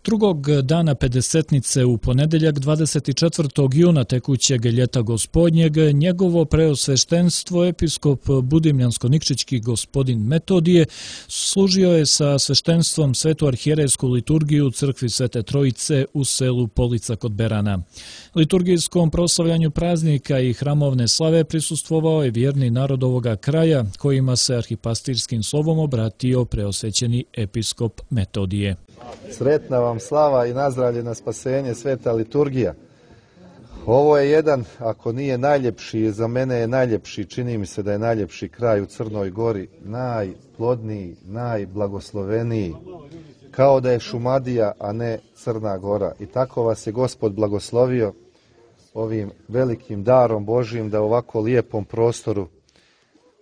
Drugog dana pedesetnice u ponedeljak 24. juna tekućeg ljeta gospodnjeg, njegovo preosveštenstvo episkop Budimljansko-Nikšićki gospodin Metodije služio je sa sveštenstvom svetu arhijerejsku liturgiju u crkvi Svete Trojice u selu Polica kod Berana. Liturgijskom proslavljanju praznika i hramovne slave prisustvovao je vjerni narod ovoga kraja, kojima se arhipastirskim slovom obratio preosvećeni episkop Metodije. Sretna vam slava i nazdravlje na spasenje, sveta liturgija. Ovo je jedan, ako nije najljepši, za mene je najljepši, čini mi se da je najljepši kraj u Crnoj Gori, najplodniji, najblagosloveniji, kao da je Šumadija, a ne Crna Gora. I tako vas je Gospod blagoslovio ovim velikim darom Božijim da u ovako lijepom prostoru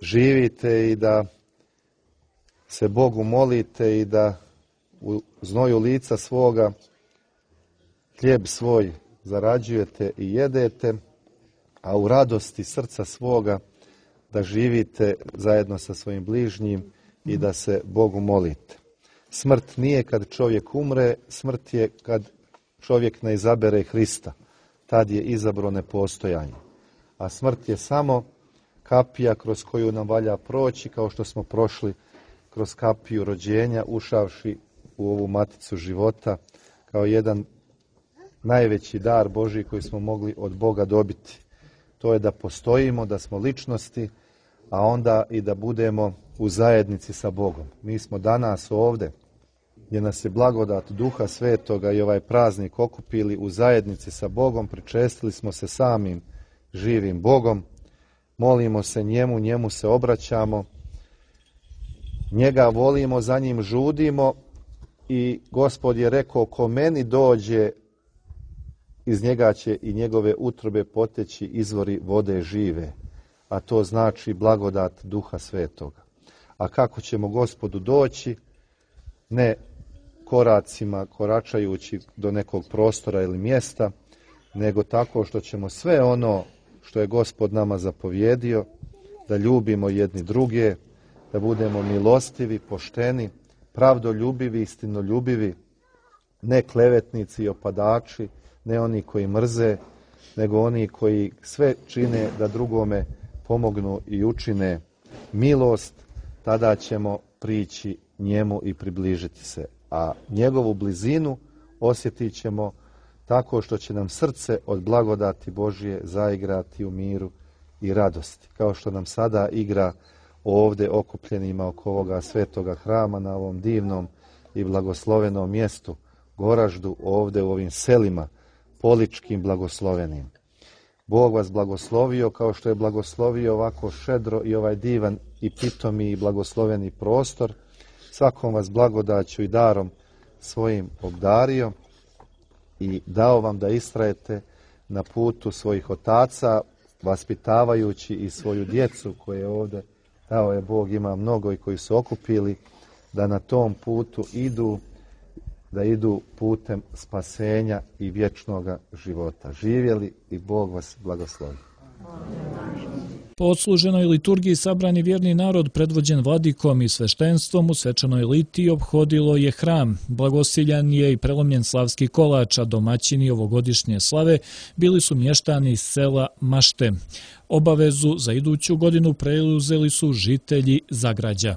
živite i da se Bogu molite i da u znoju lica svoga hljeb svoj zarađujete i jedete, a u radosti srca svoga da živite zajedno sa svojim bližnjim i da se Bogu molite. Smrt nije kad čovjek umre, smrt je kad čovjek ne izabere Hrista. Tad je izabro nepostojanje. A smrt je samo kapija kroz koju nam valja proći, kao što smo prošli kroz kapiju rođenja, ušavši u ovu maticu života, kao jedan najveći dar Božji koji smo mogli od Boga dobiti. To je da postojimo, da smo ličnosti, a onda i da budemo u zajednici sa Bogom. Mi smo danas ovdje, gdje nas je blagodat Duha Svetoga i ovaj praznik okupili u zajednici sa Bogom, pričestili smo se samim živim Bogom, molimo se njemu, njemu se obraćamo, njega volimo, za njim žudimo i Gospod je rekao, ko meni dođe, iz njega će i njegove utrobe poteći izvori vode žive, a to znači blagodat Duha Svetoga. A kako ćemo Gospodu doći? Ne koracima, koračajući do nekog prostora ili mjesta, nego tako što ćemo sve ono što je Gospod nama zapovjedio, da ljubimo jedni druge, da budemo milostivi, pošteni, pravdoljubivi, istinoljubivi, ne klevetnici i opadači, ne oni koji mrze, nego oni koji sve čine da drugome pomognu i učine milost, tada ćemo prići njemu i približiti se. A njegovu blizinu osjetit ćemo tako što će nam srce od blagodati Božje zaigrati u miru i radosti. Kao što nam sada igra ovdje okupljenima oko ovoga svetoga hrama na ovom divnom i blagoslovenom mjestu, Goraždu, ovdje u ovim selima poličkim blagoslovenim. Bog vas blagoslovio kao što je blagoslovio ovako šedro i ovaj divan i pitomi i blagosloveni prostor. Svakom vas blagodaću i darom svojim obdario i dao vam da istrajete na putu svojih otaca, vaspitavajući i svoju djecu koje ovdje dao je Bog, ima mnogo i koji su okupili, da na tom putu idu, da idu putem spasenja i vječnoga života. Živjeli i Bog vas blagoslovi. Po odsluženoj liturgiji sabrani vjerni narod predvođen vladikom i sveštenstvom u svečanoj litiji ophodilo je hram. Blagosiljan je i prelomljen slavski kolač, a domaćini ovogodišnje slave bili su mještani iz sela Mašte. Obavezu za iduću godinu preuzeli su žitelji Zagrađa.